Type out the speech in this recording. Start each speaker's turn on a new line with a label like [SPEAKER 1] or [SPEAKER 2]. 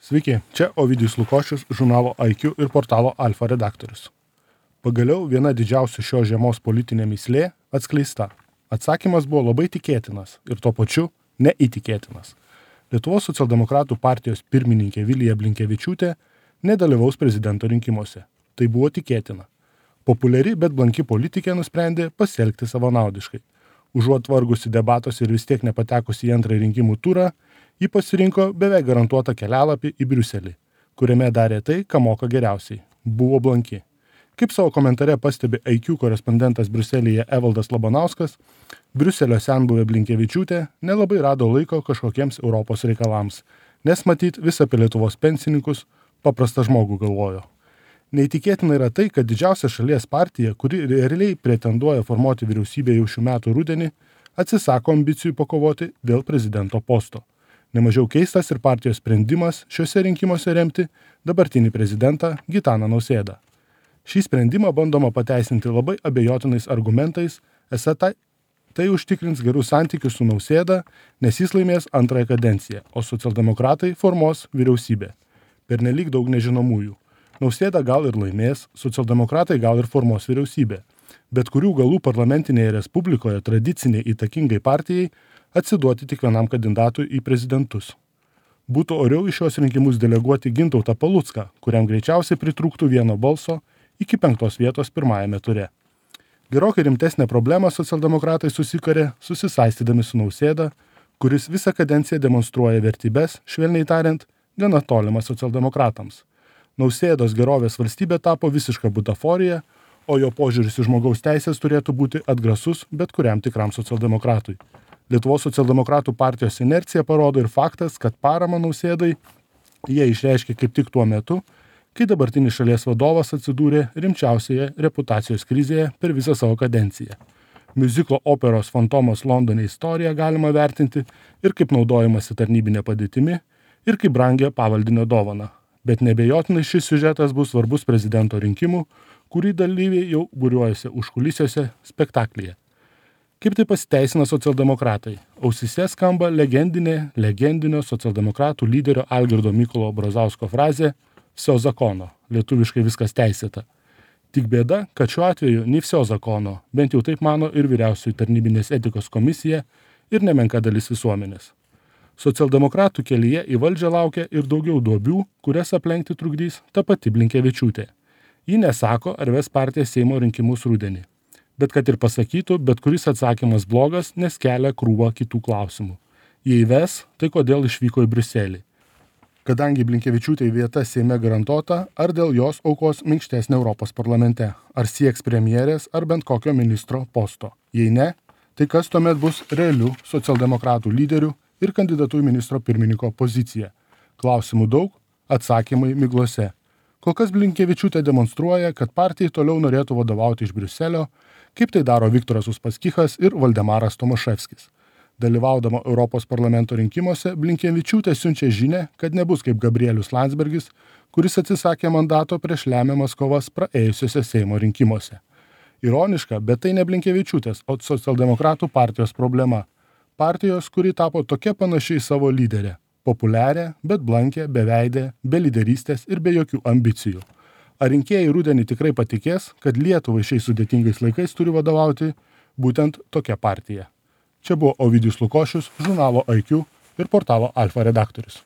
[SPEAKER 1] Sveiki, čia Ovidijus Lukošius, žurnalo IQ ir portalo Alfa redaktorius. Pagaliau viena didžiausių šios žiemos politinė mįslė atskleista. Atsakymas buvo labai tikėtinas ir tuo pačiu neįtikėtinas. Lietuvos socialdemokratų partijos pirmininkė Vilija Blinkevičiūtė nedalyvaus prezidento rinkimuose. Tai buvo tikėtina. Populiari, bet blanki politikė nusprendė pasielgti savanaudiškai. Užuot vargusi debatuose ir vis tiek nepatekusi į antrąjį rinkimų turą, ji pasirinko beveik garantuotą kelialapį į Briuselį, kuriame darė tai, ką moka geriausiai – buvo blanki. Kaip savo komentare pastebi IQ korespondentas Briuselyje Evaldas Labanauskas, Briuselio senbuvė Blinkevičiūtė nelabai rado laiko kažkokiems Europos reikalams, nes matyt vis apie Lietuvos pensininkus paprastą žmogų galvojo. Neįtikėtina yra tai, kad didžiausia šalies partija, kuri realiai pretenduoja formuoti vyriausybę jau šių metų rudenį, atsisako ambicijų pakovoti dėl prezidento posto. Nemažiau keistas ir partijos sprendimas šiuose rinkimuose remti dabartinį prezidentą Gitaną Nausėdą. Šį sprendimą bandoma pateisinti labai abejotinais argumentais, esą tai užtikrins gerus santykius su Nausėda, nes jis laimės antrąją kadenciją, o socialdemokratai formuos vyriausybę. Pernelyg daug nežinomųjų. Nausėda gal ir laimės, socialdemokratai gal ir formuos vyriausybę, bet kurių galų parlamentinėje respublikoje tradiciniai įtakingai partijai atsiduoti tik vienam kandidatui į prezidentus. Būtų oriau į šios rinkimus deleguoti Gintautą Palucką, kuriam greičiausiai pritrūktų vieno balso iki 5 vietos pirmajame ture. Gerokai rimtesnę problemą socialdemokratai susikarė susisaistydami su Nausėda, kuris visą kadenciją demonstruoja vertybes, švelniai tariant, gana tolimas socialdemokratams. Nausėdos gerovės valstybė tapo visiška butaforija, o jo požiūris į žmogaus teisės turėtų būti atgrasus bet kuriam tikram socialdemokratui. Lietuvos socialdemokratų partijos inercija parodo ir faktas, kad paramą Nausėdai jie išreiškė kaip tik tuo metu, kai dabartinis šalies vadovas atsidūrė rimčiausioje reputacijos krizėje per visą savo kadenciją. Miuziklo operos Fantomas Londone istoriją galima vertinti ir kaip naudojimasi tarnybinė padėtimi, ir kaip brangią pavaldinio dovaną. Bet nebejotinai šis siužetas bus svarbus prezidento rinkimų, kurį dalyviai jau būriuojasi užkulisiuose spektaklyje. Kaip tai pasiteisina socialdemokratai? Ausyse skamba legendinio socialdemokratų lyderio Algirdo Mykolo Brazausko frazė «Vsio zakono», lietuviškai viskas teisėta. Tik bėda, kad šiuo atveju nei vsio zakono, bent jau taip mano ir vyriausioji tarnybinės etikos komisija ir nemenka dalis visuomenės. Socialdemokratų kelyje į valdžią laukia ir daugiau duobių, kurias aplenkti trukdys ta pati Blinkevičiūtė. Ji nesako, ar ves partija Seimo rinkimus rudenį. Bet kad ir pasakytų, bet kuris atsakymas blogas, nes kelia krūvą kitų klausimų. Jei ves, tai kodėl išvyko į Briuselį? Kadangi Blinkevičiūtei vieta Seime garantuota, ar dėl jos aukos minkštesnė Europos parlamente? Ar sieks premjerės ar bent kokio ministro posto? Jei ne, tai kas tuomet bus realių socialdemokratų lyderių ir kandidatų į ministro pirmininko poziciją? Klausimų daug, atsakymai miglose. Kol kas Blinkevičiūtė demonstruoja, kad partijai toliau norėtų vadovauti iš Briuselio, kaip tai daro Viktoras Uspaskichas ir Valdemaras Tomaševskis. Dalyvaudama Europos parlamento rinkimuose, Blinkevičiūtė siunčia žinią, kad nebus kaip Gabrielius Landsbergis, kuris atsisakė mandato prieš lemiamas kovas praėjusiuose Seimo rinkimuose. Ironiška, bet tai ne Blinkevičiūtės, o socialdemokratų partijos problema. Partijos, kuri tapo tokia panašiai į savo lyderę. Populiarią, bet blankę, beveidę, be lyderystės ir be jokių ambicijų. Ar rinkėjai rudenį tikrai patikės, kad Lietuvai šiais sudėtingais laikais turi vadovauti būtent tokia partija? Čia buvo Ovidijus Lukošius, žurnalo IQ ir portalo Alfa redaktorius.